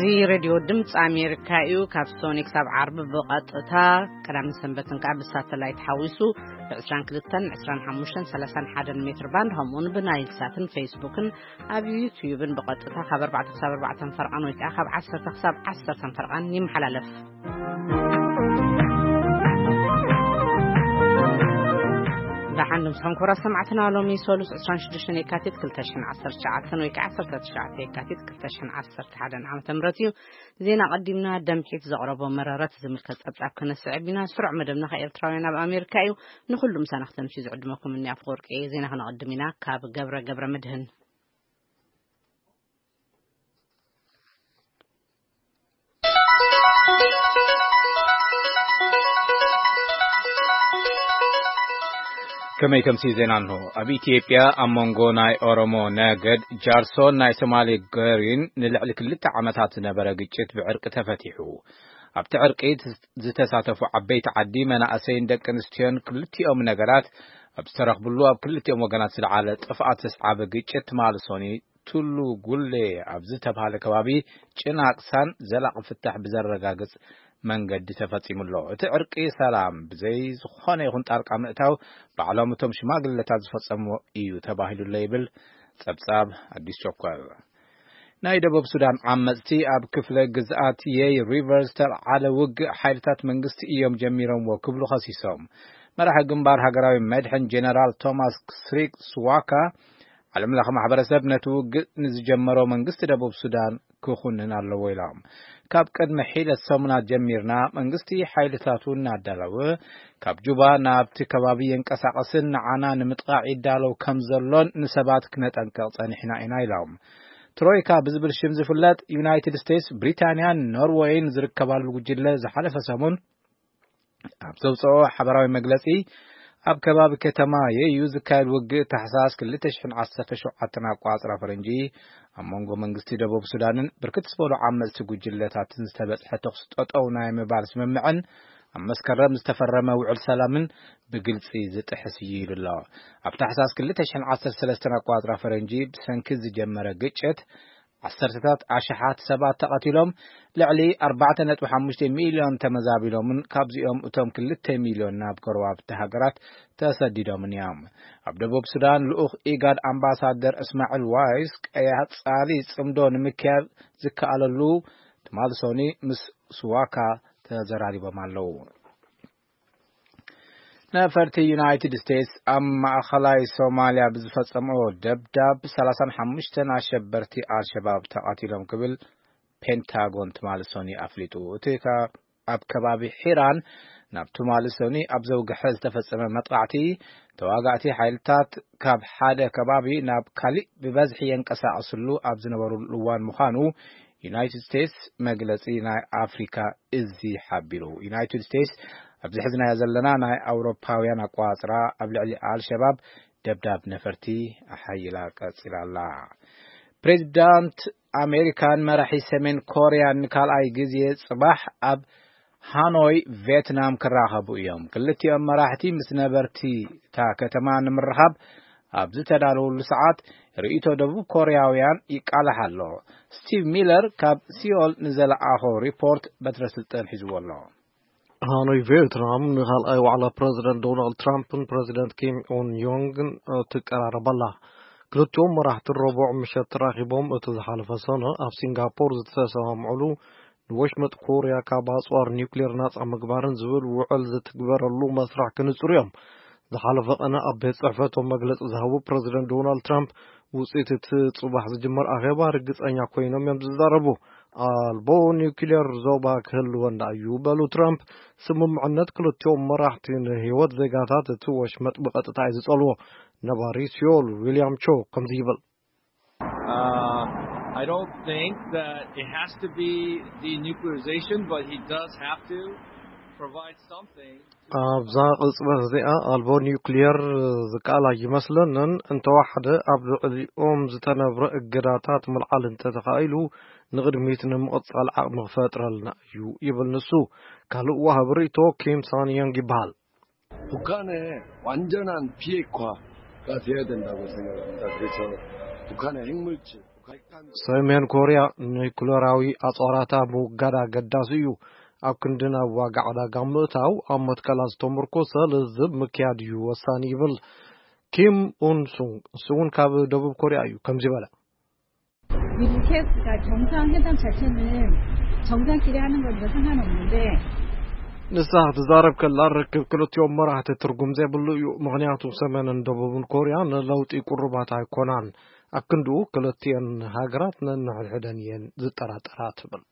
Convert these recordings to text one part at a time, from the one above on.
እዚ ሬድዮ ድምፂ ኣሜሪካ እዩ። ካብ ሶኒ ክሳብ ዓርቢ ብቐጥታ፣ ቀዳምን ሰንበትን ከዓ ብሳተላይት ሓዊሱ ብ22፣ 25፣ 31 ሜትር ባንድ፣ ከምኡውን ብናይል ሳትን ፌስቡክን ኣብ ዩትዩብን ብቐጥታ ካብ ኣርባዕተ ክሳብ ኣርባዕተ ፈርቓን ወይ ከዓ ካብ ዓሰርተ ክሳብ ዓሰርተ ፈርቓን ይመሓላለፍ። ደሓን ድምፅኹም ክቡራት ሰማዕትና፣ ሎሚ ሰሉስ ዕስራን ሽዱሽተን የካቲት ክልተ ሽሕን ዓሰርተ ትሽዓተን ወይ ከዓ ዓሰርተ ትሽዓተ የካቲት ክልተ ሽሕን ዓሰርተ ሓደን ዓመተ ምህረት እዩ። ዜና ቀዲምና ደምሒት ዘቕረቦ መረረት ዝምልከት ጸብጻብ ክነስዕብ ኢና። ስሩዕ መደብና ከኤርትራውያን ኣብ ኣሜሪካ እዩ። ንኹሉ ምሳና ክተምሲ ዝዕድመኩም እኒ ኣፍወርቂ እየ። ዜና ክነቐድም ኢና። ካብ ገብረ ገብረ መድህን። ከመይ ከምሲ ዜና እንሆ። ኣብ ኢትዮጵያ ኣብ መንጎ ናይ ኦሮሞ ነገድ ጃርሶን ናይ ሶማሌ ገሪን ንልዕሊ ክልተ ዓመታት ዝነበረ ግጭት ብዕርቂ ተፈቲሑ። ኣብቲ ዕርቂ ዝተሳተፉ ዓበይቲ ዓዲ፣ መናእሰይን ደቂ ኣንስትዮን ክልቲኦም ነገራት ኣብ ዝተረኽብሉ፣ ኣብ ክልቲኦም ወገናት ዝለዓለ ጥፍኣት ዘስዓበ ግጭት ትማሊ ሶኒ ቱሉ ጉሌ ኣብ ዝተባሃለ ከባቢ ጭናቅሳን ዘላቂ ፍታሕ ብዘረጋግጽ መንገዲ ተፈጺሙ ኣሎ። እቲ ዕርቂ ሰላም ብዘይ ዝኾነ ይኹን ጣልቃ ምእታው ባዕሎም እቶም ሽማግለታት ዝፈጸምዎ እዩ ተባሂሉ ኣሎ ይብል ጸብጻብ ኣዲስ ቸኮል። ናይ ደቡብ ሱዳን ዓመጽቲ ኣብ ክፍለ ግዝኣት የይ ሪቨር ዝተልዓለ ውግእ ሓይልታት መንግስቲ እዮም ጀሚሮምዎ ክብሉ ከሲሶም። መራሒ ግንባር ሃገራዊ መድሕን ጀነራል ቶማስ ስሪክ ስዋካ፣ ዓለም ለኸ ማሕበረሰብ ነቲ ውግእ ንዝጀመሮ መንግስቲ ደቡብ ሱዳን ክኹንን ኣለዎ ኢሎም። ካብ ቅድሚ ሒደት ሰሙናት ጀሚርና መንግስቲ ሓይልታቱ እናዳለወ ካብ ጁባ ናብቲ ከባቢ የንቀሳቐስን ንዓና ንምጥቓዕ ይዳለው ከም ዘሎን ንሰባት ክነጠንቀቕ ጸኒሕና ኢና ኢሎም። ትሮይካ ብዝብል ሽም ዝፍለጥ ዩናይትድ ስቴትስ፣ ብሪታንያን ኖርወይን ዝርከባሉ ጉጅለ ዝሓለፈ ሰሙን ኣብ ዘውፅኦ ሓበራዊ መግለፂ፣ ኣብ ከባቢ ከተማ የዩ ዝካየድ ውግእ ታሕሳስ ክልተ ሽሕን ዓሰርተ ሸውዓተን ኣቋፅራ ፈረንጂ ኣብ መንጎ መንግስቲ ደቡብ ሱዳንን ብርክት ዝበሉ ዓመፅቲ ጉጅለታትን ዝተበፅሐ ተኩሲ ጠጠው ናይ ምባል ስምምዕን ኣብ መስከረም ዝተፈረመ ውዕል ሰላምን ብግልፂ ዝጥሕስ እዩ ኢሉ ኣሎ። ኣብ ታሕሳስ ክልተ ሽሕን ዓሰርተ ሰለስተን ኣቋፅራ ፈረንጂ ብሰንኪ ዝጀመረ ግጭት ዓሰርተታት ኣሽሓት ሰባት ተቐቲሎም፣ ልዕሊ ኣርባዕተ ነጥቢ ሓሙሽተ ሚልዮን ተመዛቢሎምን ካብዚኦም እቶም ክልተ ሚልዮን ናብ ጎረባብቲ ሃገራት ተሰዲዶምን እዮም። ኣብ ደቡብ ሱዳን ልኡኽ ኢጋድ ኣምባሳደር እስማዒል ዋይስ ቀያጻሊ ጽምዶ ንምክያድ ዝከኣለሉ ትማሊ ሶኒ ምስ ስዋካ ተዘራሪቦም ኣለዉ። ነፈርቲ ዩናይትድ ስቴትስ ኣብ ማእኸላይ ሶማልያ ብዝፈጸምኦ ደብዳብ ሰላሳን ሓሙሽተን ኣሸበርቲ ኣልሸባብ ተቐቲሎም ክብል ፔንታጎን ትማሊ ሶኒ ኣፍሊጡ። እቲ ከ-፣ ኣብ ከባቢ ሒራን ናብ ትማሊ ሶኒ ኣብ ዘውግሐ ዝተፈጸመ መጥቃዕቲ፣ ተዋጋእቲ ሓይልታት ካብ ሓደ ከባቢ ናብ ካሊእ ብበዝሒ የንቀሳቐስሉ ኣብ ዝነበሩሉ እዋን ምዃኑ ዩናይትድ ስቴትስ መግለጺ ናይ ኣፍሪካ እዚ ሓቢሩ። ዩናይትድ ስቴትስ ኣብዚ ሕዝናዮ ዘለና ናይ ኣውሮፓውያን ኣቋጽራ ኣብ ልዕሊ ኣልሸባብ ደብዳብ ነፈርቲ ኣሓይላ ቀጺላ ኣላ። ፕሬዚዳንት ኣሜሪካን መራሒ ሰሜን ኮርያን ንካልኣይ ግዜ ጽባሕ ኣብ ሃኖይ ቬትናም ክራኸቡ እዮም። ክልቲኦም መራሕቲ ምስ ነበርቲ እታ ከተማ ንምርኻብ ኣብ ዝተዳለወሉ ሰዓት ርእይቶ ደቡብ ኮርያውያን ይቃላሕ ኣሎ። ስቲቭ ሚለር ካብ ሲኦል ንዘለኣኾ ሪፖርት በትረ ስልጣን ሒዝዎ ኣሎ። ሃኖይ ቬትናም ንኻልኣይ ዋዕላ ፕረዚደንት ዶናልድ ትራምፕን ፕረዚደንት ኪም ኡን ዮንግን ትቀራረብ ኣላ። ክልቲኦም መራሕቲ ረቡዕ ምሸት ተራኺቦም እቲ ዝሓለፈ ሰነ ኣብ ሲንጋፖር ዝተሰማምዑሉ ንወሽመጥ ኮርያ ካብ ኣጽዋር ኒውክሌር ናጻ ምግባርን ዝብል ውዕል ዝትግበረሉ መስርሕ ክንጽሩ እዮም። ዝሓለፈ ቀነ ኣብ ቤት ጽሕፈቶም መግለጺ ዝሃቡ ፕረዚደንት ዶናልድ ትራምፕ፣ ውጽኢት እቲ ጽባሕ ዝጅመር ኣኼባ ርግጸኛ ኮይኖም እዮም ዝዛረቡ። ኣልቦ ኒውክሌር ዞባ ክህልወና እዩ በሉ ትራምፕ። ስምምዕነት ክልቲኦም መራሕቲ ንህይወት ዜጋታት እቲ ወሽመጥ ብቐጥታ እዩ ዝጸልዎ። ነባሪ ሲዮል ዊልያም ቾ ከምዚ ይብል። Uh, I don't think that it has to be denuclearization, but he does have to provide something. ኣብዛ ቅጽበት እዚኣ ኣልቦ ኒውክሊየር ዝከኣል ኣይመስለንን። እንተወሓደ ኣብ ልዕሊኦም ዝተነብረ እገዳታት ምልዓል እንተተኻኢሉ ንቕድሚት ንምቕጻል ዓቕሚ ክፈጥረልና እዩ ይብል ንሱ። ካልእ ዋሃቢ ርእይቶ ኪም ሳን ዮንግ ይበሃል። 북한의 완전한 비핵화가 돼야 된다고 생각합니다. 그래서 북한의 핵물질 ሰሜን ኮርያ ኒኩለራዊ ኣጽዋራታ ምውጋድ ኣገዳሲ እዩ። ኣብ ክንዲ ናብ ዋጋ ዕዳጋ ምእታው፣ ኣብ መትከላት ዝተመርኮሰ ልዝብ ምክያድ እዩ ወሳኒ ይብል ኪም ኡን ሱንግ። እሱ እውን ካብ ደቡብ ኮርያ እዩ። ከምዚ በለ። 미국과 정상회담 자체는 정상끼리 하는 것보다 상관없는데, ንሳ ክትዛረብ ከላ፣ ርክብ ክልቲኦም መራሕቲ ትርጉም ዘይብሉ እዩ። ምኽንያቱ ሰሜንን ደቡብን ኮርያ ንለውጢ ቅሩባት ኣይኮናን። ኣክንድኡ ክልቲኤን ሃገራት ነንሕድሕደን እየን ዝጠራጠራ ትብል።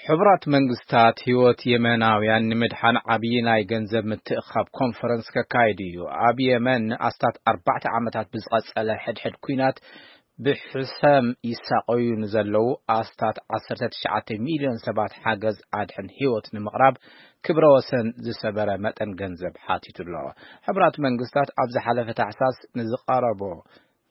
ሕቡራት መንግስታት ህይወት የመናውያን ንምድሓን ዓብዪ ናይ ገንዘብ ምትእኻብ ኮንፈረንስ ከካይድ እዩ። ኣብ የመን ንኣስታት ኣርባዕተ ዓመታት ብዝቐጸለ ሕድሕድ ኲናት ብሕሰም ይሳቐዩ ንዘለዉ ኣስታት ዓሰርተ ትሽዓተ ሚልዮን ሰባት ሓገዝ ኣድሕን ህይወት ንምቕራብ ክብረ ወሰን ዝሰበረ መጠን ገንዘብ ሓቲቱ ኣሎ። ሕቡራት መንግስታት ኣብ ዝሓለፈ ታሕሳስ ንዝቐረቦ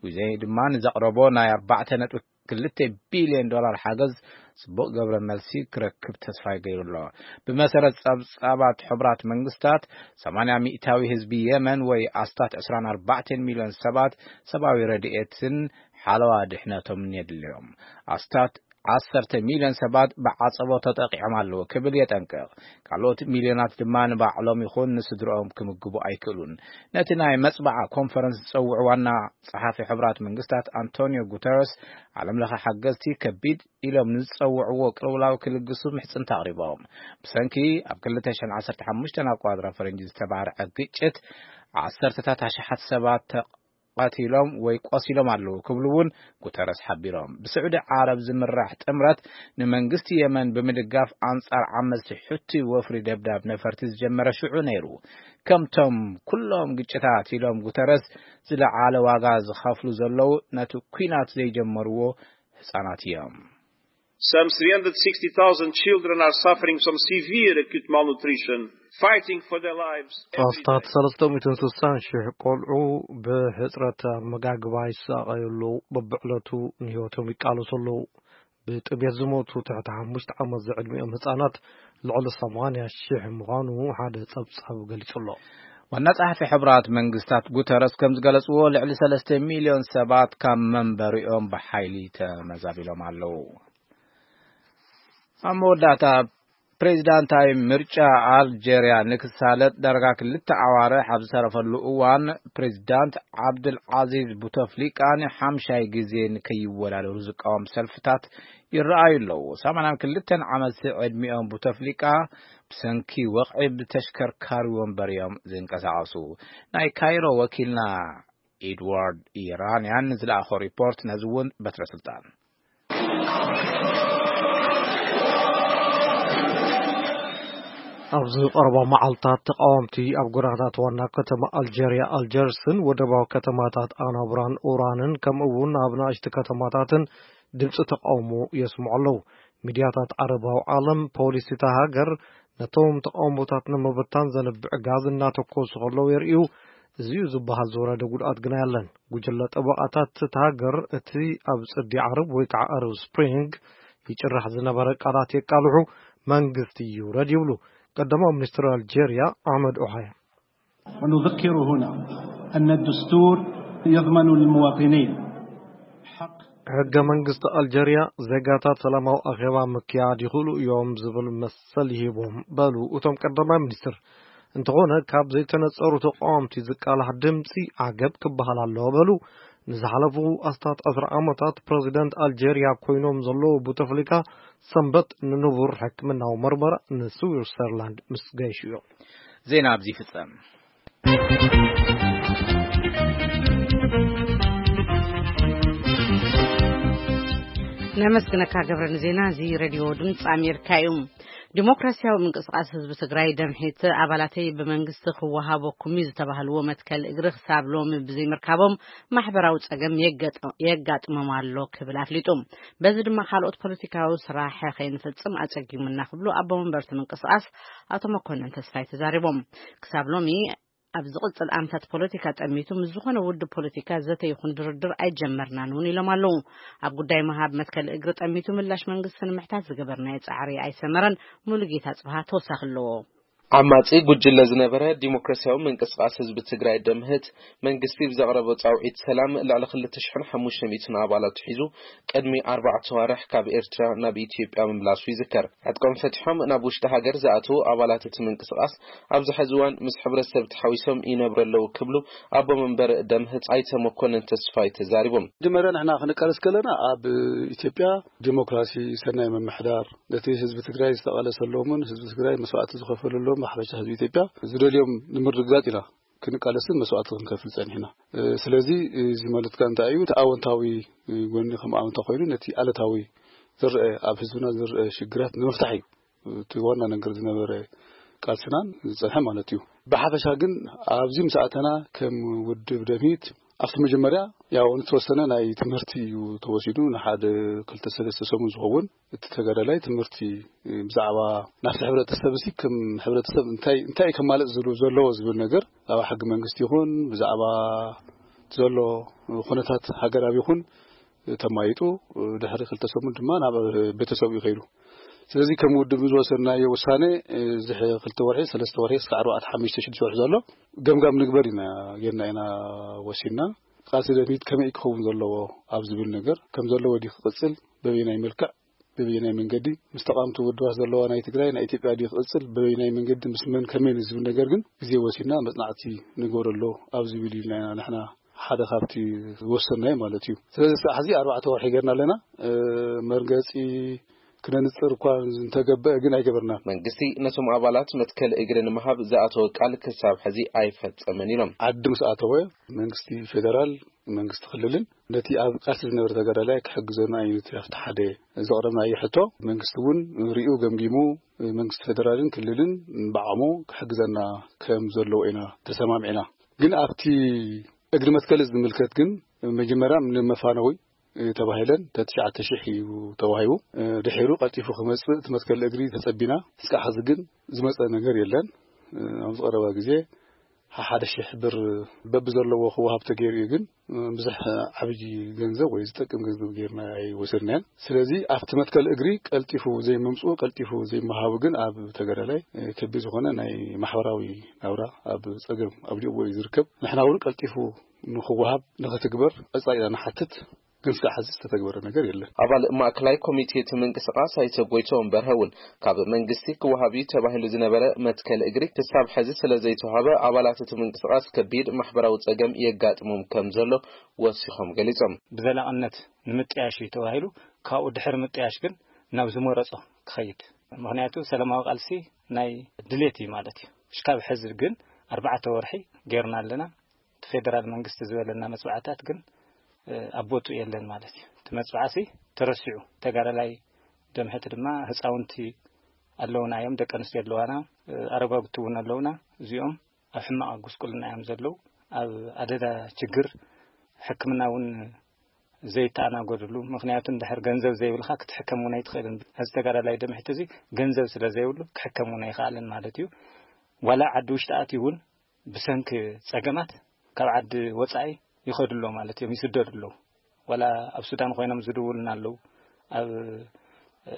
ግዜ ድማ ንዘቕረቦ ናይ ኣርባዕተ ነጥቢ ክልተ ቢልዮን ዶላር ሓገዝ ጽቡቕ ገብረ መልሲ ክረክብ ተስፋ ይገይሩ ኣሎ። ብመሰረት ጸብጻባት ሕቡራት መንግስታት፣ ሰማንያ ሚእታዊ ህዝቢ የመን ወይ ኣስታት ዕስራን ኣርባዕተን ሚልዮን ሰባት ሰብኣዊ ረድኤትን ሓለዋ ድሕነቶምን የድልዮም። ኣስታት ዓሰርተ ሚልዮን ሰባት ብዓጸቦ ተጠቂዖም ኣለዉ ክብል የጠንቅቕ። ካልኦት ሚልዮናት ድማ ንባዕሎም ይኹን ንስድርኦም ክምግቡ ኣይክእሉን። ነቲ ናይ መጽባዓ ኮንፈረንስ ዝጸውዑ ዋና ጸሓፊ ሕቡራት መንግስታት ኣንቶኒዮ ጉተረስ፣ ዓለም ለኸ ሓገዝቲ ከቢድ ኢሎም ንዝጸውዕዎ ቅልውላው ክልግሱ ምሕጽንታ ኣቕሪቦም። ብሰንኪ ኣብ ክልተ ሽሕን ዓሰርተ ሓሙሽተን ኣቋጽራ ፈረንጂ ዝተባርዐ ግጭት ዓሰርተታት ኣሽሓት ሰባት ተቐቲሎም ወይ ቆሲሎም ኣለዉ ክብሉ እውን ጉተረስ ሓቢሮም። ብስዑዲ ዓረብ ዝምራሕ ጥምረት ንመንግስቲ የመን ብምድጋፍ ኣንጻር ዓመጽቲ ሑቲ ወፍሪ ደብዳብ ነፈርቲ ዝጀመረ ሽዑ ነይሩ። ከምቶም ኩሎም ግጭታት ኢሎም ጉተረስ፣ ዝለዓለ ዋጋ ዝኸፍሉ ዘለዉ ነቲ ኲናት ዘይጀመርዎ ህጻናት እዮም። Some three hundred sixty thousand children are suffering from severe acute malnutrition, fighting for their lives. ኣስታት ሰለስተ ሚእትን ስሳን ሽሕ ቆልዑ ብሕጽረት ኣመጋግባ ይሳቐዩ ኣለዉ። በብዕለቱ ንህይወቶም ይቃለሱ ኣለዉ። ብጥሜት ዝሞቱ ትሕቲ ሓሙሽተ ዓመት ዝዕድሚኦም ህጻናት ልዕሊ ሰማንያ ሽሕ ምዃኑ ሓደ ጸብጻብ ገሊጹ ኣሎ። ዋና ጸሓፊ ሕቡራት መንግስታት ጉተረስ ከም ዝገለጽዎ፣ ልዕሊ ሰለስተ ሚልዮን ሰባት ካብ መንበሪኦም ብሓይሊ ተመዛቢሎም ኣለዉ። ኣብ መወዳእታ፣ ፕሬዚዳንታዊ ምርጫ ኣልጀርያ ንክሳለጥ ዳርጋ ክልተ ኣዋርሕ ኣብ ዝተረፈሉ እዋን፣ ፕሬዚዳንት ዓብድል ዓዚዝ ቡተፍሊቃ ንሓምሻይ ግዜ ንከይወዳደሩ ዝቃወም ሰልፍታት ይረኣዩ ኣለዉ። ሰማንያን ክልተን ዓመት ዕድሚኦም ቡተፍሊቃ ብሰንኪ ወቕዒ ብተሽከርካሪ ወንበር እዮም ዝንቀሳቐሱ። ናይ ካይሮ ወኪልና ኤድዋርድ ኢራንያን ንዝለኣኾ ሪፖርት ነዚ እውን በትረ ስልጣን። ኣብዚ ቀረባ መዓልታት ተቃወምቲ ኣብ ጎደናታት ዋና ከተማ ኣልጀርያ ኣልጀርስን ወደባዊ ከተማታት ኣናብራን ኡራንን ከምኡ እውን ኣብ ንኣሽቱ ከተማታትን ድምፂ ተቃውሞ የስምዑ ኣለዉ። ሚድያታት ዓረባዊ ዓለም ፖሊስ እታ ሃገር ነቶም ተቃውሞታት ንምብታን ዘንብዕ ጋዝ እናተኮሱ ከለዉ የርእዩ። እዚዩ ዝበሃል ዝወረደ ጉድኣት ግና የለን። ጉጅለ ጠበቓታት እታ ሃገር እቲ ኣብ ጽዲ ዓረብ ወይ ከዓ ኣረብ ስፕሪንግ ይጭራሕ ዝነበረ ቃላት የቃልሑ፣ መንግስቲ ይውረድ ይብሉ። ቀዳማዊ ሚኒስትር ኣልጀርያ ኣሕመድ ኦሃያ ونذكر هنا أن الدستور يضمن للمواطنين حق ሕገ መንግስቲ ኣልጀርያ ዜጋታት ሰላማዊ ኣኼባ ምክያድ ይኽእሉ እዮም ዝብል መሰል ይህቦም በሉ እቶም ቀዳማይ ሚኒስትር። እንተኾነ ካብ ዘይተነጸሩ ተቃወምቲ ዝቃላሕ ድምፂ ዓገብ ክበሃል ኣለዎ በሉ። ንዝሓለፉ ኣስታት ዕስራ ዓመታት ፕረዚደንት ኣልጀርያ ኮይኖም ዘለዉ ቡተፍሊካ ሰንበት ንንቡር ሕክምናዊ መርመራ ንስዊትዘርላንድ ምስ ገይሹ እዮም። ዜና ኣብዚ ይፍጸም። ነመስግነካ ገብረ ንዜና እዚ ሬድዮ ድምፂ ኣሜሪካ እዩ። ዲሞክራሲያዊ ምንቅስቃስ ህዝቢ ትግራይ ደምሒት ኣባላተይ ብመንግስቲ ክወሃበኩም እዩ ዝተባህልዎ መትከል እግሪ ክሳብ ሎሚ ብዘይምርካቦም ማሕበራዊ ጸገም የጋጥሞም ኣሎ ክብል ኣፍሊጡ። በዚ ድማ ካልኦት ፖለቲካዊ ስራሕ ከይንፍጽም ኣጸጊሙና ክብሉ ኣቦ መንበርቲ ምንቅስቃስ ኣቶ መኮንን ተስፋይ ተዛሪቦም። ክሳብ ሎሚ ኣብ ዝቕጽል ኣምታት ፖለቲካ ጠሚቱ ምስ ዝኾነ ውድብ ፖለቲካ ዘተ ይኹን ድርድር ኣይጀመርናን እውን ኢሎም ኣለዉ። ኣብ ጉዳይ ምሃብ መትከል እግሪ ጠሚቱ ምላሽ መንግስቲ ንምሕታት ዝገበርናዮ ጻዕሪ ኣይሰመረን። ሙሉጌታ ጽብሃ ተወሳኺ ኣለዎ። ዓማጺ ጉጅለ ዝነበረ ዲሞክራሲያዊ ምንቅስቓስ ህዝቢ ትግራይ፣ ደምህት፣ መንግስቲ ብዘቕረቦ ጻውዒት ሰላም ልዕሊ ክልተ ሽሕን ሓሙሽተ ሚእትን ኣባላት ሒዙ ቅድሚ ኣርባዕተ ኣዋርሕ ካብ ኤርትራ ናብ ኢትዮጵያ ምምላሱ ይዝከር። ዕጥቆም ፈቲሖም ናብ ውሽጢ ሃገር ዝኣተዉ ኣባላት እቲ ምንቅስቓስ ኣብዚ ሕዚ እዋን ምስ ሕብረተሰብ ተሓዊሶም ይነብሩ ኣለዉ ክብሉ ኣቦ መንበር ደምህት ኣይተ መኮንን ተስፋይ ተዛሪቦም። መጀመርያ ንሕና ክንቃለስ ከለና ኣብ ኢትዮጵያ ዲሞክራሲ፣ ሰናይ ምምሕዳር፣ ነቲ ህዝቢ ትግራይ ዝተቓለሰሎምን ህዝቢ ትግራይ መስዋዕቲ ዝኸፈለሎም፣ ብሓፈሻ ህዝቢ ኢትዮጵያ ዝደልዮም ንምርግጋጽ ኢና ክንቃለስን መስዋዕቲ ክንከፍል ጸኒሕና። እ፣ ስለዚ እዚ ማለትካ እንታይ እዩ? እቲ ኣወንታዊ፣ እ፣ ጎኒ ከም ኣወንታ ኮይኑ፣ ነቲ ኣሉታዊ ዝረአ፣ ኣብ ህዝብና ዝረአ ሽግራት ንምፍታሕ እዩ እቲ ዋና ነገር ዝነበረ ቃልስናን ዝጸንሐ ማለት እዩ። ብሓፈሻ ግን ኣብዚ ምስ ኣተና ከም ውድብ ደምሂት ኣብቲ መጀመርያ ያው ንተወሰነ ናይ ትምህርቲ እዩ ተወሲዱ። ንሓደ ክልተ ሰለስተ ሰሙን ዝኸውን እቲ ተጋዳላይ ትምህርቲ ብዛዕባ ናብቲ ሕብረተሰብ እዚ ከም ሕብረተሰብ እንታይ፣ እንታይ ከማልእ ዝሉ-፣ ዘለዎ ዝብል ነገር ብዛዕባ ሕጊ መንግስቲ ይኹን ብዛዕባ ዘሎ ኩነታት ሃገራዊ ይኹን ተማይጡ ድሕሪ ክልተ ሰሙን ድማ ናብ ቤተሰቡ እዩ ከይዱ። ስለዚ ከም ውድብ ዝወሰድናዮ ውሳኔ እዚ ክልተ ወርሒ፣ ሰለስተ ወርሒ እስከ ኣርባዕተ፣ ሓሙሽተ፣ ሽዱሽተ ወርሒ ዘሎ ገምጋም ንግበር ኢና፣ ጌርና ኢና ወሲድና። ቃልሲ ደምሂት ከመይ ክኸውን ዘለዎ ኣብ ዝብል ነገር ከም ዘለዎ ድዩ ክቕጽል፣ በበየናይ መልክዕ፣ በበየናይ መንገዲ ምስ ተቓምቲ ውድባት ዘለዋ ናይ ትግራይ፣ ናይ ኢትዮጵያ ድዩ ክቕጽል፣ በበየናይ መንገዲ ምስ መን ከመይ ንዝብል ነገር ግን ግዜ ወሲድና መጽናዕቲ ንግበረሉ ኣብ ዝብል ኢልና ኢና ንሕና ሓደ ካብቲ ዝወሰንናዮ ማለት እዩ። ስለዚ ክሳብ ሕዚ ኣርባዕተ ወርሒ ጌርና ኣለና። እ፣ መርገጺ ክነንጽር እኳ እንተገበአ ግን ኣይገበርናን። መንግስቲ ነቶም ኣባላት መትከል እግሪ ንምሃብ ዝኣተወ ቃል ክሳብ ሕዚ ኣይፈጸመን ኢሎም። ዓዲ ምስ ኣተወ መንግስቲ ፌደራል መንግስቲ ክልልን ነቲ ኣብ ቃልሲ ዝነበረ ተጋዳላይ ክሕግዘና እዩ። እቲ ኣብቲ ሓደ ዘቕረብናዮ ሕቶ መንግስቲ እውን ሪኡ ገምጊሙ መንግስቲ ፌደራልን ክልልን ብዓቕሙ ክሕግዘና ከም ዘለዎ ኢና ተሰማሚዕና። ግን ኣብቲ እግሪ መትከል ዝምልከት ግን መጀመርያ ንመፋነዊ ተባሂለን ተትሽዓተ ሺሕ እዩ ተዋሂቡ። ድሒሩ ቀልጢፉ ክመጽእ እቲ መትከል እግሪ ተጸቢና። እስካዕ ሕዚ ግን ዝመጸ ነገር የለን። ኣብ ዝቐረባ ግዜ ሓደ ሺሕ ብር በብዘለዎ ክወሃብ ተገይሩ እዩ፣ ግን ብዙሕ ዓብዪ ገንዘብ ወይ ዝጠቅም ገንዘብ ጌርና ኣይወሰድናዮን። ስለዚ ኣብቲ መትከል እግሪ ቀልጢፉ ዘይምምፅኡ፣ ቀልጢፉ ዘይመሃቡ ግን ኣብ ተጋዳላይ ከቢድ ዝኾነ ናይ ማሕበራዊ ናብራ ኣብ ፀገም ኣብ ዲእዎ እዩ ዝርከብ። ንሕና እውን ቀልጢፉ ንክወሃብ ንክትግበር ቀፃሊና ንሓትት። ግን እስካዕ ሕዚ ዝተተግበረ ነገር የለን። ኣባል ማእከላይ ኮሚቴ እቲ ምንቅስቓስ ኣይተ ጎይትኦም በርሀ እውን ካብ መንግስቲ ክወሃብ እዩ ተባሂሉ ዝነበረ መትከል እግሪ ክሳብ ሕዚ ስለ ዘይተዋህበ ኣባላት እቲ ምንቅስቓስ ከቢድ ማሕበራዊ ጸገም የጋጥሞም ከም ዘሎ ወሲኾም ገሊጾም። ብዘላቕነት ንምጥያሽ እዩ ተባሂሉ፣ ካብኡ ድሕሪ ምጥያሽ ግን ናብ ዝመረጾ ክኸይድ። ምኽንያቱ ሰላማዊ ቃልሲ ናይ ድሌት እዩ ማለት እዩ። እሽካብ ሕዚ ግን ኣርባዕተ ወርሒ ጌርና ኣለና። እቲ ፌደራል መንግስቲ ዝበለና መጽዋዕታት ግን፣ እ፣ ኣብ ቦትኡ የለን ማለት እዩ። እቲ መጽዋዕሲ ተረሲዑ፣ ተጋዳላይ ደምሕቲ ድማ ህፃውንቲ ኣለውና እዮም፣ ደቂ ኣንስትዮ ኣለዋና፣ እ፣ ኣረጋግቲ እውን ኣለውና። እዚኦም ኣብ ሕማቕ ጉስቁልና እዮም ዘለዉ። ኣብ ኣደዳ ችግር ሕክምና እውን ዘይተኣናገድሉ፣ ምኽንያቱ እንድሕር ገንዘብ ዘይብልካ ክትሕከም እውን ኣይትኽእልን። እዚ ተጋዳላይ ደምሕቲ እዚ ገንዘብ ስለ ዘይብሉ ክሕከም እውን ኣይኽኣልን ማለት እዩ። ዋላ ዓዲ ውሽጢ ኣትዩ እውን ብሰንኪ ጸገማት ካብ ዓዲ ወጻኢ ይኸዱ ኣለዉ ማለት እዮም፣ ይስደዱ ኣለዉ። ዋላ ኣብ ሱዳን ኮይኖም ዝድውሉና ኣለዉ፣ ኣብ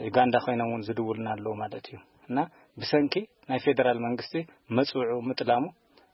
ዩጋንዳ ኮይኖም እውን ዝድውሉና ኣለዉ ማለት እዩ። እና ብሰንኪ ናይ ፌደራል መንግስቲ መጽውዑ ምጥላሙ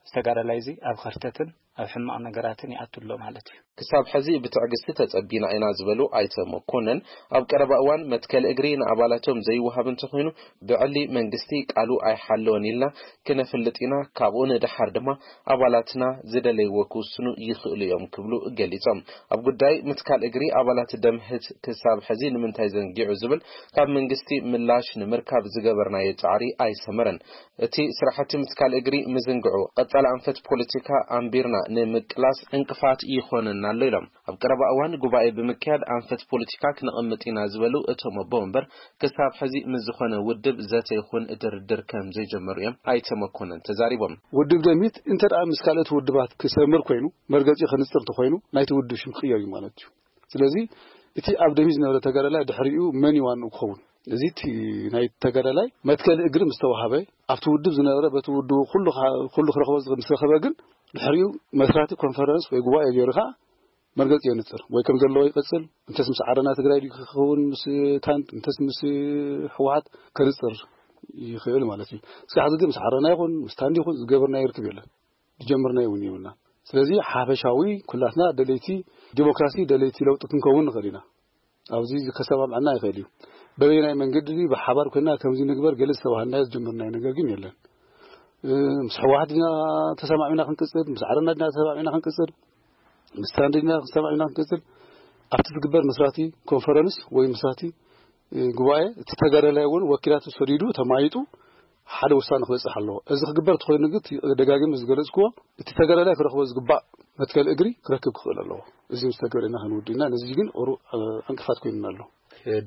ዝተጋዳላይ እዚ ኣብ ኸርተትን ኣብ ሕማቕ ነገራትን ይኣቱ ኣሎ ማለት እዩ። ክሳብ ሕዚ ብትዕግስቲ ተጸቢና ኢና ዝበሉ ኣይተ መኮነን፣ ኣብ ቀረባ እዋን መትከል እግሪ ንኣባላቶም ዘይወሃብ እንተኾይኑ ብዕሊ መንግስቲ ቃሉ ኣይሓለወን ኢልና ክነፍልጥ ኢና፣ ካብኡ ንደሓር ድማ ኣባላትና ዝደለይዎ ክውስኑ ይኽእሉ እዮም ክብሉ ገሊጾም። ኣብ ጉዳይ ምትካል እግሪ ኣባላት ደምህት ክሳብ ሕዚ ንምንታይ ዘንጊዑ ዝብል ካብ መንግስቲ ምላሽ ንምርካብ ዝገበርናዮ ጻዕሪ ኣይሰመረን። እቲ ስራሕቲ ምትካል እግሪ ምዝንግዑ፣ ቀጻሊ ኣንፈት ፖለቲካ ኣንቢርና ንምቅላስ ዕንቅፋት ይኾነና ኣሎ ኢሎም። ኣብ ቀረባ እዋን ጉባኤ ብምክያድ ኣንፈት ፖለቲካ ክነቐምጥ ኢና ዝበሉ እቶም ኣቦ ወንበር፣ ክሳብ ሕዚ ምስ ዝኾነ ውድብ ዘተ ይኹን ድርድር ከም ዘይጀመሩ እዮም ኣይተ መኮነን ተዛሪቦም። ውድብ ደምሂት እንተ ደኣ ምስ ካልኦት ውድባት ክሰምር ኮይኑ፣ መርገጺ ከንጽር እንተኾይኑ፣ ናይቲ ውድብ ሽም ክቕየር እዩ ማለት እዩ። ስለዚ እቲ ኣብ ደምሂት ዝነበረ ተጋዳላይ ድሕሪኡ መን እዩ ዋንኡ ክኸውን? እዚ እቲ ናይ ተጋዳላይ መትከል እግሪ ምስ ተዋሃበ፣ ኣብቲ ውድብ ዝነበረ በቲ ውድቡ ኩሉ ካ-፣ ኩሉ ክረኽቦ ዝኽእል ምስ ረኸበ ግን ድሕሪኡ መስራቲ ኮንፈረንስ ወይ ጉባኤ ገይሩ ከኣ መርገጺ የንጽር ወይ ከም ዘለዎ ይቐጽል፣ እንተስ ምስ ዓረና ትግራይ ድዩ ክኸውን ምስ ታንድ፣ እንተስ ምስ ህወሓት ከንጽር ይኽእል ማለት እዩ። እስካዕ ሕዚ ግን ምስ ዓረና ይኹን ምስ ታንዲ ይኹን ዝገበርናዮ ርክብ የለን፣ ዝጀመርናዮ እውን የብልና። ስለዚ ሓፈሻዊ ኩላትና ደለይቲ ዲሞክራሲ፣ ደለይቲ ለውጢ ክንከውን ንኽእል ኢና። ኣብዚ ከሰማምዐና ይኽእል እዩ። በበየናይ መንገዲ ብሓባር ኮይና ከምዚ ንግበር ገለ ዝተባሃልናዮ ዝጀመርናዮ ነገር ግን የለን። ምስ ሕወሓት ዲና ተሰማዕሚና ክንቅፅል፣ ምስ ዓረና ዲና ተሰማዕሚና ክንቅፅል፣ ምስ ታንዲ ዲና ተሰማዕሚና ክንቅፅል፣ ኣብቲ ዝግበር መስራቲ ኮንፈረንስ ወይ መስራቲ ጉባኤ እቲ ተጋዳላይ እውን ወኪላቱ ሰዲዱ ተማይጡ ሓደ ውሳነ ክበፅሕ ኣለዎ። እዚ ክግበር ተኾይኑ ግን ደጋጊም ዝገለፅክዎ እቲ ተጋዳላይ ክረኽቦ ዝግባእ መትከል እግሪ ክረክብ ክኽእል ኣለዎ። እዚ ምስ ተገበረና ክንውድእና ነዚ ግን ሩ ዕንቅፋት ኮይኑና ኣሎ።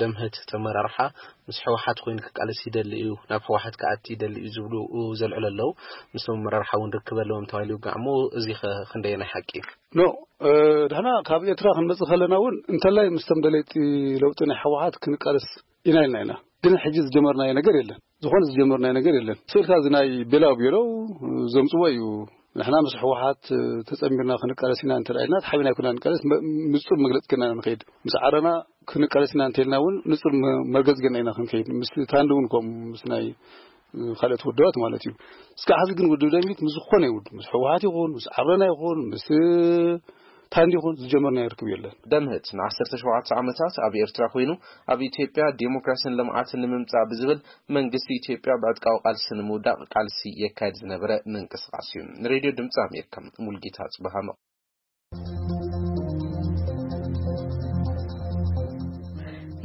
ደምህት ተመራርሓ ምስ ሕወሓት ኮይኑ ክቃለስ ይደሊ እዩ፣ ናብ ሕወሓት ክኣቲ ይደሊ እዩ ዝብሉ ዘልዕሉ ኣለዉ። ምስቶም መራርሓ እውን ርክብ ኣለዎም ተባሂሉ ይውጋዕ እሞ፣ እዚ ኸ ክንደየናይ ሓቂ እዩ? ኖ፣ ድሕና ካብ ኤርትራ ክንመጽእ ከለና እውን እንተላይ ምስቶም ደለይቲ ለውጢ ናይ ሕወሓት ክንቃለስ ኢና ኢልና ኢና። ግን ሕጂ ዝጀመርናዮ ነገር የለን። ዝኾነ ዝጀመርናዮ ነገር የለን። ስእልካ እዚ ናይ ቤላው ቤለው ዘምጽዎ እዩ። ንሕና ምስ ሕወሓት ተጸሚርና ክንቃለስ ኢና እንተ ኢልና ተሓቢና ኣይኮና ንቃለስ፣ ንጹር መግለጽ ገና ንኸይድ ምስ ዓረና ክንቃለስ ኢና እንተ ኢልና እውን ንጹር መርገጽ ገና ኢና ክንከይድ፣ ምስ ታንዲ እውን ከምኡ ምስ ናይ ካልኦት ውድባት ማለት እዩ። እስካዕ ሕዚ ግን ውድብ ደምሂት ምስ ዝኾነ ይውድ ምስ ሕወሓት ይኹን ምስ ዓረና ይኹን ምስ ታንዲ ይኹን ዝጀመርና ይርክብ የለን። ደምህት ን17 ዓመታት ኣብ ኤርትራ ኮይኑ ኣብ ኢትዮጵያ ዴሞክራሲን ልምዓትን ንምምጻእ ብዝብል መንግስቲ ኢትዮጵያ ብዕጥቃዊ ቃልሲ ንምውዳቕ ቃልሲ የካይድ ዝነበረ ምንቅስቃስ እዩ። ንሬድዮ ድምፂ ኣሜሪካ ሙልጌታ ጽበሃ።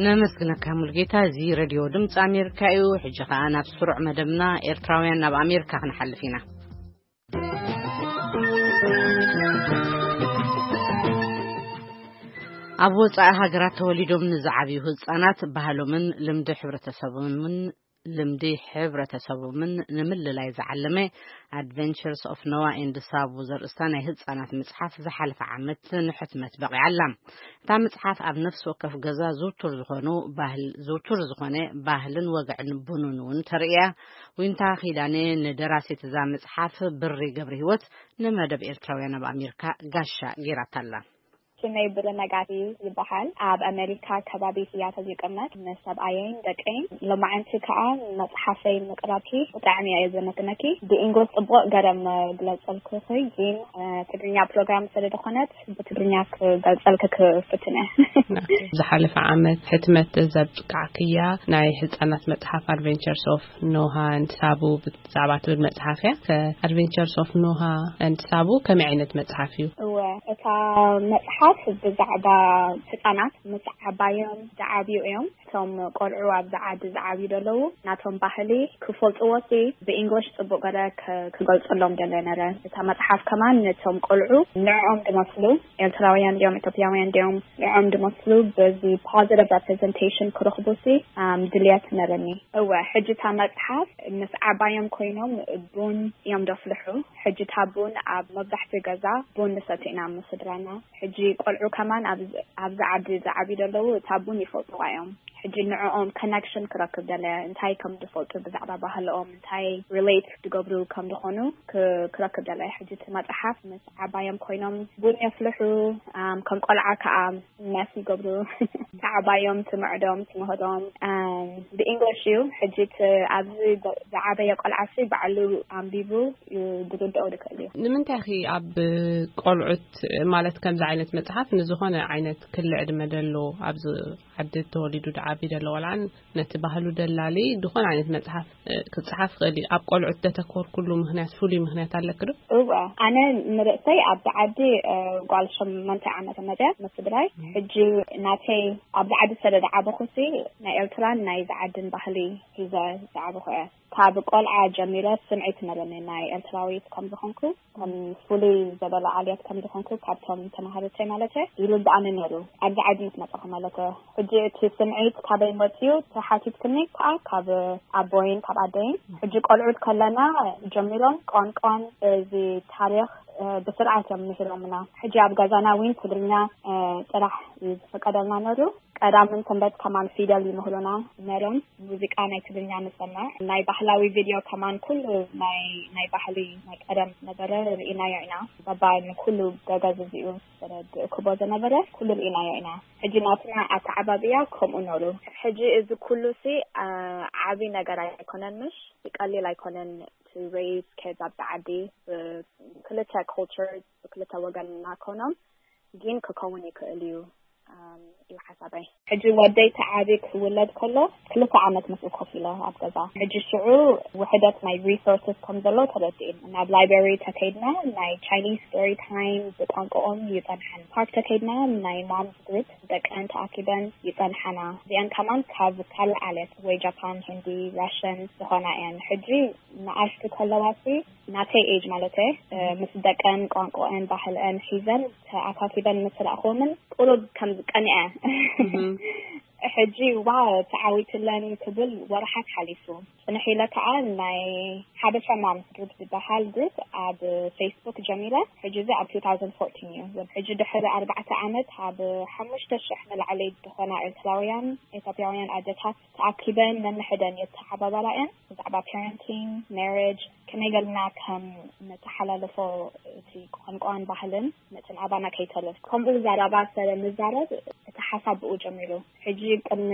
ነመስግነካ ሙልጌታ። እዚ ሬድዮ ድምፂ ኣሜሪካ እዩ። ሕጂ ከኣ ናብ ስሩዕ መደብና ኤርትራውያን ናብ ኣሜሪካ ክንሓልፍ ኢና። ኣብ ወጻኢ ሃገራት ተወሊዶም ንዝዓብዩ ህጻናት ባህሎምን ልምዲ ሕብረተሰቦምን ልምዲ ሕብረተሰቦምን ንምልላይ ዝዓለመ ኣድቨንቸርስ ኦፍ ኖዋ ኤንድ ሳቡ ዘርእስታ ናይ ህጻናት መጽሓፍ ዝሓለፈ ዓመት ንሕትመት በቒዓ ኣላ። እታ መጽሓፍ ኣብ ነፍሲ ወከፍ ገዛ ዝውቱር ዝኾኑ ባህል ዝውቱር ዝኾነ ባህልን ወግዕን ቡኑን እውን ተርእያ። ዊንታ ኪዳነ ንደራሲት እዛ መጽሓፍ ብሪ ገብረ ህይወት ንመደብ ኤርትራውያን ኣብ ኣሜሪካ ጋሻ ገይራታ ኣላ። ሽመይ ብርነጋሲ ይበሃል። ኣብ ኣሜሪካ ከባቢ ሲያትል ይቅመጥ። ምስ ሰብኣየይን ደቀይን ሎማዕንቲ ከኣ መጽሓፈይ ምቅራብኪ ብጣዕሚ እየ ዘመስግነኪ። ብኢንግሊሽ ጽቡቅ ገረ መግለጸልኩኺ፣ ግን ትግርኛ ፕሮግራም ስለ ዝኾነት ብትግርኛ ክገልጸልኪ ክፍትን እየ። ዝሓለፈ ዓመት ሕትመት ዘብቃዕክያ ናይ ህጻናት መጽሓፍ ኣድቨንቸርስ ኦፍ ኖሃ ንሳቡ ብዛዕባ ትብል መጽሓፍ እያ። ከ ኣድቨንቸርስ ኦፍ ኖሃ ኤንድ ሳቡ ከመይ ዓይነት መጽሓፍ እዩ? እወ፣ እታ መጽሓፍ ብዛዕባ ህጻናት ምስ ዓባዮም ዝዓብዩ እዮም። እቶም ቆልዑ ኣብዚ ዓዲ ዝዓብዩ ዘለዉ ናቶም ባህሊ ክፈልጥዎ ሲ ብእንግሊሽ ጽቡቅ ገለ ክ- ክገልጸሎም ደለ ነረ። እታ መጽሓፍ ከማን ነቶም ቆልዑ ንዕኦም ዝመስሉ ኤርትራውያን ድዮም ኢትዮጵያውያን ድዮም ንዕኦም ዝመስሉ በዚ positive representation ክረኽቡ ሲ ድልየት ነረኒ። እወ፣ ሕጂ እታ መጽሓፍ ምስ ዓባዮም ኮይኖም ቡን እዮም ደፍልሑ። ሕጂ እታ ቡን ኣብ መብዛሕትኡ ገዛ ቡን ንሰቲ ኢና ምስ ስድራና። ሕጂ ቆልዑ ከማን ኣብዚ ዓዲ ዝዓብዩ ዘለዉ እታ ቡን ይፈልጥዋ እዮም። ሕጂ ንዕኦም ኮነክሽን ክረክብ ደለ እንታይ ከም ዝፈልጡ ብዛዕባ ባህልኦም እንታይ ሪሌት ዝገብሩ ከም ዝኾኑ ክረክብ ደለ። ሕጂ እቲ መፅሓፍ ምስ ዓባዮም ኮይኖም ቡን የፍልሑ፣ ከም ቆልዓ ከዓ መስ ይገብሩ። ዓባዮም ትምዕዶም ትምህዶም ብእንግሊሽ እዩ። ሕጂ ኣብዚ ዝዓበየ ቆልዓ ሲ ባዕሉ ኣንቢቡ ዝርድኦ ዝክእል እዩ። ንምንታይ ኺ ኣብ ቆልዑት ማለት ከምዚ ዓይነት መጽሓፍ ንዝኾነ ዓይነት ክሊ ዕድመ ደሎ ኣብዚ ዓዲ ተወሊዱ ድዓቢ ደሎ ቆልዓን ነቲ ባህሉ ደላሊ ዝኾነ ዓይነት መጽሓፍ ክጽሓፍ ክእል እዩ። ኣብ ቆልዑት ደተኮርኩሉ ምክንያት ፍሉይ ምክንያት ኣለክ ዶ? እወ፣ ኣነ ንርእሰይ ኣብዚ ዓዲ ጓል ሸመንተ ዓመተ መፅያ ምስ ስድራይ። ሕጂ ናተይ ኣብዚ ዓዲ ስለ ዝዓበኹ ሲ ናይ ኤርትራን ናይ ዝዓድን ባህሊ ሒዘ ዝዓበኹ እየ። ካብ ቆልዓ ጀሚረ ስምዒት ነበኒ ናይ ኤርትራዊት ከም ዝኾንኩ ከም ፍሉይ ዘበለ ዓልየት ከም ዝኾንኩ ካብቶም ተማሃርተይ ማለት ይርድኣኒ ነይሩ። ኣብዚ ዓዲ ምስ መጻኹ ማለት ሕጂ እቲ ስምዒት ካበይ መፅዩ ተሓቲትክኒ ከዓ ካብ ኣቦይን ካብ ኣደይን። ሕጂ ቆልዑት ከለና ጀሚሮም ቋንቋን እዚ ታሪኽ ብስርዓት እዮም ምሂሮምና። ሕጂ ኣብ ገዛና እውን ትግርኛ ጥራሕ እዩ ዝፈቀደልና ነሩ። ቀዳምን ሰንበት ከማን ፊደል ይምህሩና ነሮም። ሙዚቃ ናይ ትግርኛ ንሰምዕ። ናይ ባህላዊ ቪድዮ ከማን ኩሉ ናይ ናይ ባህሊ ናይ ቀደም ነበረ ርኢናዮ ኢና። ባባ ንኩሉ ገገዝ እዚኡ ረድእክቦ ዝነበረ ኩሉ ርኢናዮ ኢና። ሕጂ ናትና ኣተዓባብያ ከምኡ ነሩ። ሕጂ እዚ ኩሉ ሲ ዓብይ ነገር ኣይኮነን፣ ምሽ ቀሊል ኣይኮነን። ቱ ሬይዝ ኬዝ ኣብቲ ዓዲ ብክልተ ኮልቸር ብክልተ ወገን እናኮኖም ግን ክከውን ይክእል እዩ እዩ ሓሳበይ። ሕጂ ወደይ ተዓቢ ክውለድ ከሎ ክልተ ዓመት ምስኡ ኮፍ ኢለ ኣብ ገዛ። ሕጂ ሽዑ ውሕደት ናይ ሪሶርስስ ከም ዘሎ ተረዲእን ናብ ላይብረሪ ተከይድና ናይ ቻይኒዝ ስቶሪ ታይም ብቋንቋኦም ይጸንሐን ፓርክ ተከይድና ናይ ማምስ ግሩፕ ደቀን ተኣኪበን ይጸንሓና። እዚአን ከማን ካብ ካልእ ዓለት ወይ ጃፓን፣ ህንዲ፣ ራሽን ዝኾና እየን። ሕጂ ንኣሽቱ ከለዋሲ ናተይ ኤጅ ማለት ምስ ደቀን ቋንቋአን ባህልአን ሒዘን ተኣካኪበን ምስ ረኣኽዎምን ቁሩብ ከም ዝቀንዐ ሕጂ ዋ ተዓዊትለን ክብል ወርሓት ሓሊፉ። ጽንሕ ኢለ ከዓ ናይ ሓበሻ ማምስ ግሩፕ ዝበሃል ግሩፕ ኣብ ፌስቡክ ጀሚረ። ሕጂ እዚ ኣብ two thousand fourteen እዩ። ሕጂ ድሕሪ ኣርባዕተ ዓመት ኣብ ሓሙሽተ ሽሕ ንላዕሊ ዝኾና ኤርትራውያን ኢትዮጵያውያን ኣደታት ተኣኪበን ነንሕደን የተሓባበራ እየን። ብዛዕባ ፓረንቲንግ፣ ማሪጅ ከመይ ገልና ከም ነተሓላልፎ እቲ ቋንቋን ባህልን ነትን ኣባና ከይተርፍ ከምኡ ዛራባ ሰለ ንዛረብ እቲ ሓሳብ ብኡ ጀሚሩ። ሕጂ ቅድሚ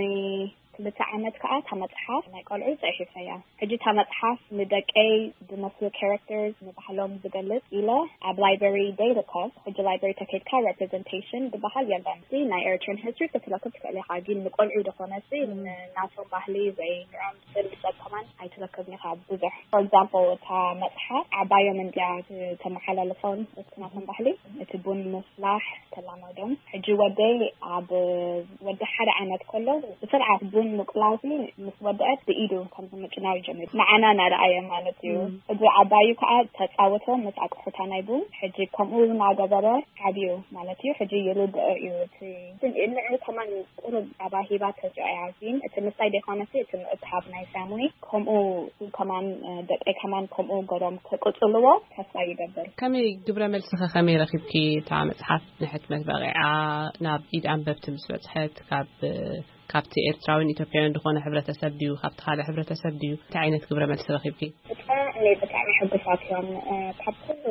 ክልተ ዓመት ከዓ እታ መፅሓፍ ናይ ቆልዑ ፅሒፈያ። ሕጂ እታ መፅሓፍ ንደቀይ ዝመስሉ ካራክተርስ ንባህሎም ዝገልፅ ኢለ ኣብ ላይብረሪ ደይርከብ። ሕጂ ላይብረሪ ተከድካ ሬፕሬዘንቴሽን ዝበሃል የለን። ናይ ኤርትራን ሂስትሪ ክትረክብ ትክእል ኢካ፣ ግን ንቆልዑ ዝኾነ ናቶም ባህሊ ወይ ንዕኦም ስል ዝጠቀማን ኣይትረክብን ኢካ ብዙሕ። ፎር ኤግዛምፕል እታ መፅሓፍ ዓባዮም እንድያ ተመሓላልፎን እቲ ናቶም ባህሊ እቲ ቡን ምፍላሕ ተላመዶም። ሕጂ ወደይ ኣብ ወዲ ሓደ ዓመት ከሎ ብስርዓት ቡን ምቁላሲ ምስ ወደአት ብኢዱ ከም ዝምጭናው ይጀምር ንዓና እናረኣየ ማለት እዩ። ሕጂ ዓባዩ ከዓ ተፃወቶ ምስ ኣቅሑታ ናይ ቡን። ሕጂ ከምኡ እናገበረ ዓብዩ ማለት እዩ። ሕጂ ይርድኦ እዩ። እቲ ንዑ ከማን ቁሩብ ኣባሂባ ተዚኦ እያ። ግን እቲ ምሳይ ዘይኮነሲ እቲ ምእካብ ናይ ፋሚሊ ከምኡ ከማን ደቀይ ከማን ከምኡ ገሮም ክቅፅልዎ ተስፋ ይገብር። ከመይ ግብረ መልስኸ ከመይ ረኺብኪ? እታ መፅሓፍ ንሕትመት በቂዓ ናብ ኢድ ኣንበብቲ ምስ በፅሐት ካብ ካብቲ ኤርትራውያን ኢትዮጵያውያን ዝኾነ ሕብረተሰብ ድዩ ካብቲ ካልእ ሕብረተሰብ ድዩ እንታይ ዓይነት ግብረ መልሲ ረኺብኪ? ብጣዕሚ ብጣዕሚ ሕጉሳት እዮም። ካብ ኩሉ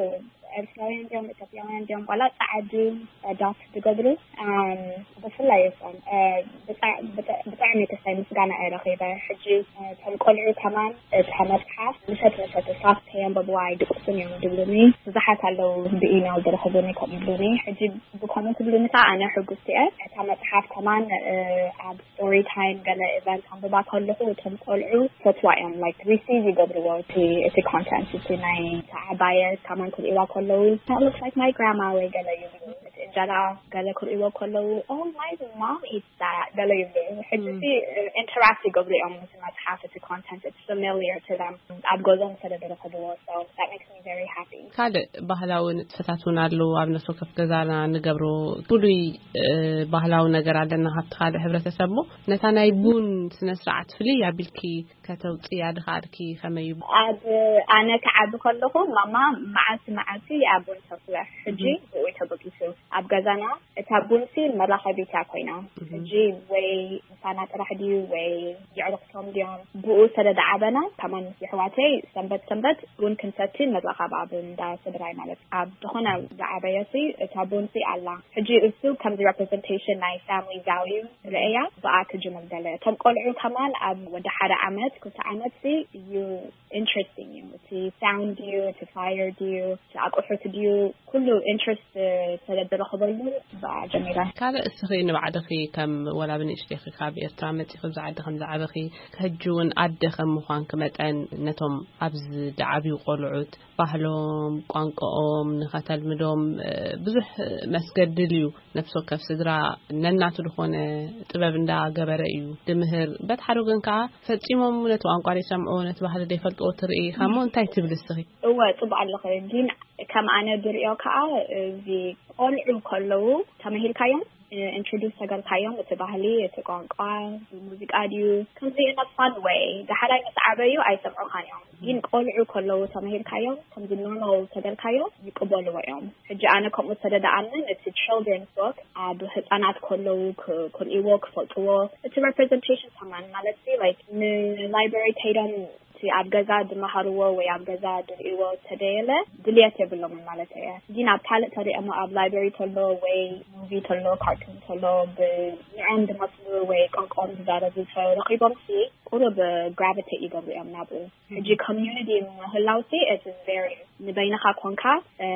ኤርትራውያን ድዮም ኢትዮጵያውያን ድዮም ዋላ ፃዓዱ ዳት ዝገብሩ ብፍላይ እሶም ብጣዕሚ ተስፋይ ምስጋና እየ ረኺበ። ሕጂ እቶም ቆልዑ ከማን እታ መፅሓፍ ምሸት ምሸት እሳት ከየንበብዋ ኣይድቅሱን እዮም ዝብሉኒ። ብዙሓት ኣለዉ ብኢሜል ዝረኽቡኒ ከምኡ ይብሉኒ። ሕጂ ብከምኡ ክብሉኒ ከዓ ኣነ ሕጉስቲ እየ። እታ መፅሓፍ ከማን ኣብ ስቶሪ ታይም ገለ ኢቨንት ኣንብባ ከለኹ እቶም ቆልዑ ፈትዋ እዮም ላይክ ሪሲቭ ይገብርዎ እቲ እቲ ኮንተንት እቲ ናይ ተዓባየ ከማን ክርእዋ ከለዉ ሉክስ ላይክ ማይ ግራማ ወይ ገለ ይብሉ። እቲ እንጀራ ገለ ክርእዎ ከለዉ ኦ ማይ ማም ኢትስ ዳት ገለ ይብሉ። ሕጂ ኢንተራክት ይገብሩ እዮም ምስ መፅሓፍ እቲ ኮንተንት it's familiar to them ኣብ ገዝኦም ስለ ዝረኽብዎ so that makes me very happy። ካልእ ባህላዊ ንጥፈታት እውን ኣለዉ ኣብ ነፍሲ ወከፍ ገዛና ንገብሮ ፍሉይ ባህላዊ ነገር ኣለና ካብቲ ካልእ ሕብረተሰብ እሞ ነታ ናይ ቡን ስነ ስርዓት ፍልይ ኣቢልኪ ከተውፅያ ድኽኣልኪ ከመይ እዩ? ኣብ ኣነ ክዓቢ ከለኹ ማማ መዓልቲ መዓልቲ እያ ቡን ተፍልሕ። ሕጂ ብኡ ተበጊሱ ኣብ ገዛና እታ ቡንሲ መራኸቢት እያ ኮይና። ሕጂ ወይ ምሳና ጥራሕ ድዩ ወይ የዕሩኽቶም ድዮም ብኡ ስለ ዝዓበና ከማን ምስ የሕዋተይ ሰንበት ሰንበት ቡን ክንሰቲ ንራኸብ ኣብ እንዳ ስድራይ ማለት ኣብ ዝኾነ ዝዓበየሲ እታ ቡንሲ ኣላ። ሕጂ እሱ ከምዚ ሬፕሬዘንቴሽን ናይ ፋሚሊ ቫልዩ ርእያ ብኣ ክጅምር ገለ እቶም ቆልዑ ከማን ኣብ ወዲ ሓደ ዓመት ክልተ ዓመት ሲ እዩ ኢንትረስቲንግ እዩ። እቲ ሳውንድ ድዩ እቲ ፋየር ድዩ እቲ ኣቁሑት ድዩ ኩሉ ኢንትረስት ስለ ዝረኽበሉ ብኣ ጀሚረ። ካልእ እስኺ ንባዕልኺ ከም ወላ ብንእሽተይኺ ካብ ኤርትራ መጺኺ ኣብዚ ዓዲ ከም ዝዓበኺ ሕጂ እውን ኣደ ከም ምዃንኪ መጠን ነቶም ኣብዚ ዝዓብዩ ቆልዑት ባህሎም ቋንቋኦም ንኸተልምዶም ብዙሕ መስገድል እዩ። ነፍሲ ወከፍ ስድራ ነናቱ ዝኾነ ጥበብ እንዳገበረ እዩ ድምህር። በት ሓደ ወገን ከዓ ፈጺሞም ነቲ ቋንቋ ዘይሰምዕዎ ነቲ ባህሊ ዘይፈልጥዎ ትርኢ ኢኻ እሞ እንታይ ትብል እስኺ? እወ ጽቡቅ ኣለኺ ግን ከም ኣነ ብሪኦ ከዓ እዚ ቆልዑ ከለዉ ተመሂርካዮም፣ ኢንትሮዱስ ተገርካዮም፣ እቲ ባህሊ፣ እቲ ቋንቋ፣ ብሙዚቃ ድዩ፣ ከምዚ ኢነ ፋን ወይ፣ ዳሕራይ ምስ ዓበዩ ኣይሰምዑኻን እዮም። ግን ቆልዑ ከለዉ ተመሂርካዮም፣ ከምዚ ኖርማል ተገርካዮም፣ ይቅበልዎ እዮም። ሕጂ ኣነ ከምኡ ዝተደደኣንን እቲ ችልድረንስ ቦክ ኣብ ህፃናት ከለዉ ክ- ክርእይዎ፣ ክፈልጥዎ፣ እቲ ሬፕሬዘንቴሽን ከማን ማለት ሲ ላይክ ንላይብረሪ ከይዶም እቲ ኣብ ገዛ ዝመሃርዎ ወይ ኣብ ገዛ ዝርእይዎ ተደየለ ድልየት የብሎምን ማለት እየ። ግን ኣብ ካልእ ተሪኦሞ ኣብ ላይብረሪ ተሎ ወይ ሙቪ ተሎ ካርቱን ተሎ ብንዕኦም ዝመስሉ ወይ ቋንቋኦም ዝዛረቡ ተረኺቦም ሲ ቁሩብ ግራቪቴት ይገብሩ እዮም ናብኡ። ሕጂ ኮሚዩኒቲ ምህላው ሲ it's very ንበይንኻ ኮንካ እ፣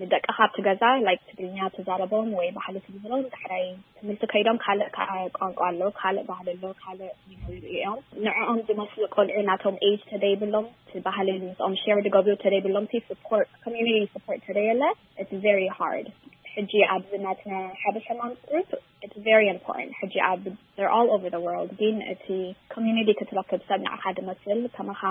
ንደቅኻ ኣብቲ ገዛ ላይክ ትግርኛ ትዛረቦም ወይ ባህሊ ትምህሮም ዳሕራይ ትምህርቲ ከይዶም ካልእ ከዓ ቋንቋ ኣሎ፣ ካልእ ባህሊ ኣሎ፣ ካልእ ይሪኡ እዮም። ንዕኦም ዝመስሉ ቆልዑ ናቶም ኤጅ ተደይብሎም እቲ ባህሊ ምስኦም ሼር ዝገብሩ ተደይብሎም ሲ ስፖርት ኮሚዩኒቲ ስፖርት ተደየለ it's very hard። ሕጂ ኣብዚ ናትና ሓበሻ ማምስ ግሩፕ it's very important። ሕጂ ኣብ they're all over the world ግን እቲ ኮሚዩኒቲ ክትረክብ ሰብ ንዓኻ ዝመስል ከማኻ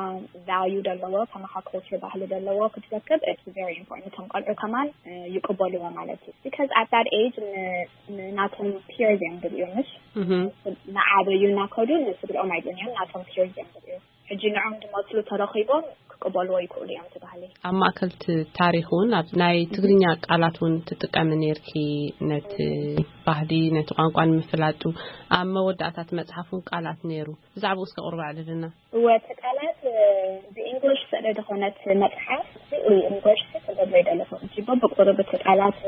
ቫልዩ ዘለዎ ከማኻ ኮልቸር ባህሊ ዘለዎ ክትረክብ it's very important። እቶም ቆልዑ ከማን እ፣ ይቅበልዎ ማለት እዩ። Because at that age ን- ንናቶም ፒርስ እዮም ዝርእዩ ምሽ ንዓበዩ እናከዱ ንስድርኦም ኣይብሉን እዮም ናቶም ፒርስ እዮም ዝርእዩ። ሕጂ ንዖም ዝመስሉ ተረኺቦም ክቅበልዎ ይክእሉ እዮም እቲ ባህሊ። ኣብ ማእከል እቲ ታሪኽ እውን ኣብ ናይ ትግርኛ ቃላት እውን ትጥቀሚ ነርኪ ነቲ ባህሊ ነቲ ቋንቋ ንምፍላጡ ኣብ መወዳእታት መጽሓፍ እውን ቃላት ነይሩ። ብዛዕባኡ እስከ ቁርብ ኣዕልልና። እወ እቲ ቃላት ብእንግሊሽ ስለ ዝኾነት መጽሓፍ እንግሊሽ ክገብሮ ይደለኹ ሕጂ በብቁሩብ እቲ ቃላት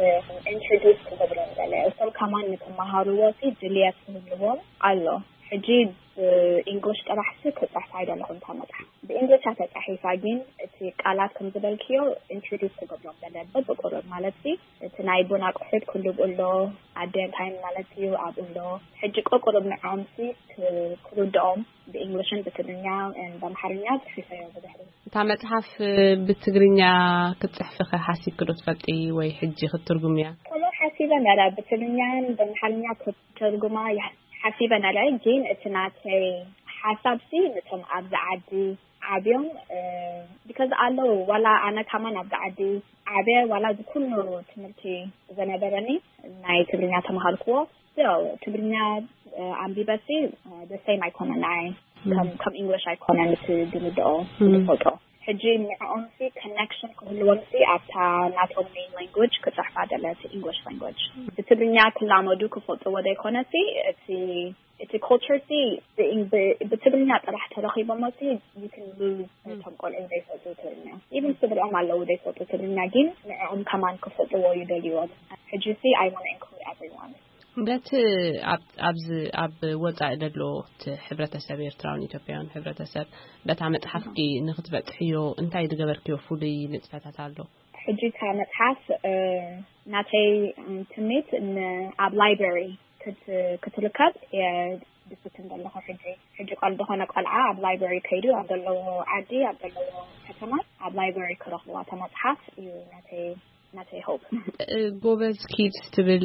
ኢንትሮዲስ ክገብሮ ይደለ እቶም ከማን ንክመሃርዎ ድልየት ክህልዎም ኣሎ። ሕጂ ብእንግሊሽ ጥራሕ ሲ ክፅሕፋ ኣይደለኹን እታ መፅሓፍ ብእንግሊሽ ተፃሒፋ ግን እቲ ቃላት ከም ዝበልክዮ ኢንትሮዲስ ክገብሮም ደለ በብቁሩብ ማለት ሲ እቲ ናይ ቡን ኣቁሑት ክልብ ኣሎ ኣደንታይን ማለት እዩ ኣብኡ ኣሎ። ሕጂ ቁሩብ ንዖም ሲ ክርድኦም ብእንግሊሽን ብትግርኛ ብኣምሓርኛ ፅሒፈዮ ብድሕሪ። እታ መፅሓፍ ብትግርኛ ክትፅሕፍኸ ሓሲብክ ዶ ትፈልጢ ወይ ሕጂ ክትትርጉምያ? ከምኡ ሓሲበ ነረ ብትግርኛን ብኣምሓርኛ ክትርጉማ ሓሲበ ነረ ግን እቲ ናተይ ሓሳብ ሲ ነቶም ኣብዚ ዓዲ ዓብዮም ቢካዝ ኣለዉ ዋላ ኣነ ካማን ኣብዚ ዓዲ ዓብየ ዋላ እዚ ኩሉ ትምህርቲ ዘነበረኒ ናይ ትግርኛ ተምሃርክዎ ትግርኛ ኣንቢበሲ ደሰይም ኣይኮነ ንዓይ ከም ኢንግሊሽ ኣይኮነ ምስ ዝምድኦ ዝፈልጦ ሕጂ ንዕኦም ሲ ኮኔክሽን ክህልዎም ሲ ኣብታ ናቶም ሜን ላንጉጅ ክፅሕፋ ደለ እቲ ኢንግሊሽ ላንጉጅ ብትግርኛ ክላመዱ ክፈልጥዎ ዘይኮነ ሲ እቲ እቲ ኮልቸር ሲ ብትግርኛ ጥራሕ ተረኺቦሞ ሲ you can lose እቶም ቆልዑ ዘይፈልጡ ትግርኛ ኢቭን ስድርኦም ኣለዉ ዘይፈልጡ ትግርኛ ግን ንዕኦም ከማን ክፈልጥዎ ይደልይዎም ሕጂ ሲ I want to include everyone። በቲ ኣብዚ ኣብ ወፃኢ ዘሎ እቲ ሕብረተሰብ ኤርትራውን ኢትዮጵያውን ሕብረተሰብ በታ መፅሓፍኪ ንክትበፅሕዮ እንታይ ዝገበርክዮ ፍሉይ ንጥፈታት ኣሎ? ሕጂ እታ መፅሓፍ ናተይ ትምኒት ኣብ ላይብረሪ ክትርከብ ድፍትን ዘለኹ ሕጂ ሕጂ ቆል ዝኾነ ቆልዓ ኣብ ላይብረሪ ከይዱ ኣብ ዘለዎ ዓዲ ኣብ ዘለዎ ከተማ ኣብ ላይብረሪ ክረኽብዋ እታ መፅሓፍ እዩ ናተይ ናተይ ሆፕ። ጎበዝ ኪድስ ትብል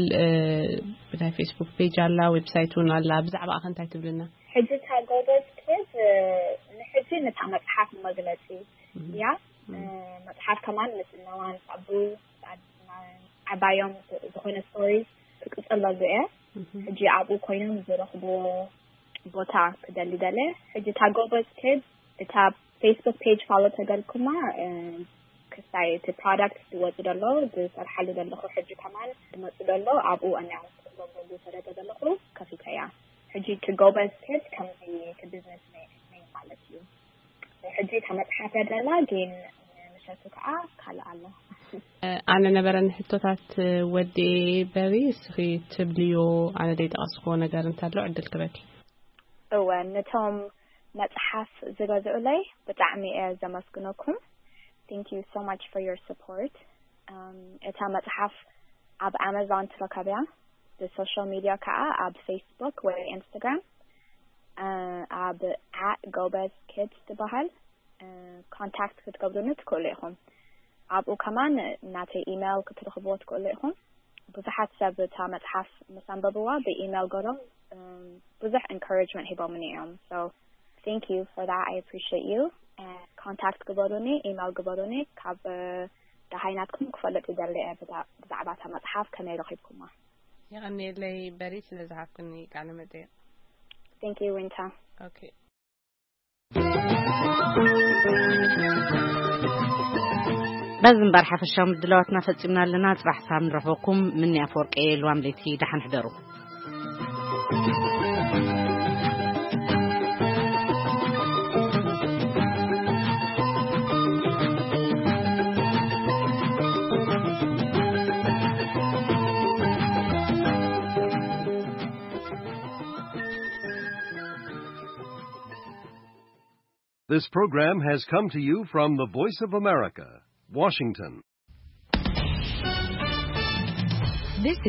ናይ ፌስቡክ ፔጅ ኣላ፣ ዌብሳይት እውን ኣላ። ብዛዕባ ኣኸ እንታይ ትብልና? ሕጂ እታ ጎበዝ ኪድ ንሕጂ ነታ መፅሓፍ መግለፂ እያ። መፅሓፍ ከማን ምስ እነዋን ሳቡ ዓባዮም ዝኾነ ስቶሪ ክቅፅለሉ እየ። ሕጂ ኣብኡ ኮይኖም ዝረኽብዎ ቦታ ክደሊ ደለ። ሕጂ እታ ጎበዝ ኪድ እታ ፌስቡክ ፔጅ ፋሎ ተገልኩማ ክስታይ እቲ ፕሮዳክት ዝወፅ ደሎ ዝሰርሓሉ ዘለኹ ሕጂ ከማን ዝመፁ ደሎ ኣብኡ ኣናውንስ ክገብረሉ ሰደደ ዘለኹ ከፊተያ። ሕጂ እቲ ጎበዝ ኪድ ከምዚ እቲ ቢዝነስ ሜን ማለት እዩ። ሕጂ እታ መፅሓፍ ደላ ግን ምሸቱ ከዓ ካልእ ኣሎ። ኣነ ነበረኒ ሕቶታት ወዲ በሪ እስኺ ትብልዮ ኣነ ዘይጠቐስክዎ ነገር እንተሎ ዕድል ክበኪ። እወ ነቶም መፅሓፍ ዝገዝኡለይ ብጣዕሚ እየ ዘመስግነኩም። Thank you so much for your support. እታ መፅሓፍ ኣብ ኣማዞን ትረከብያ። ብሶሻል ሚድያ ከዓ ኣብ ፌስቡክ ወይ ኢንስታግራም ኣብ at ጎበዝ ኪድስ ትበሃል። ኮንታክት ክትገብሩኒ ትክእሉ ኢኹም። ኣብኡ ከማን ናተይ ኢሜይል ክትረኽብዎ ትክእሉ ኢኹም። ብዙሓት ሰብ እታ መፅሓፍ ምስ ኣንበብዋ ብኢሜይል ገሮም ብዙሕ ኢንካሬጅመንት ሂቦምኒ እዮም። So thank you for that. I appreciate you. ኮንታክት ግበሩኒ፣ ኢሜይል ግበሩኒ። ካብ ደሃይ ናትኩም ክፈልጥ ይደሊ እየ ብዛ- ብዛዕባ እታ መጽሓፍ ከመይ ረኺብኩማ? የቐንየለይ በሪ ስለ ዝሃብኩኒ ቃለ መጠይቅ። Thank you, Winter. Okay. በዚ እምበር ሓፈሻዊ ምድላዋትና ፈጺምና ኣለና። ጽባሕ ሳም ንረኽበኩም። ምኒ ኣፈወርቂ እየ። ልዋም ለይቲ ደሓን ሕደሩ። This program has come to you from the Voice of America, Washington.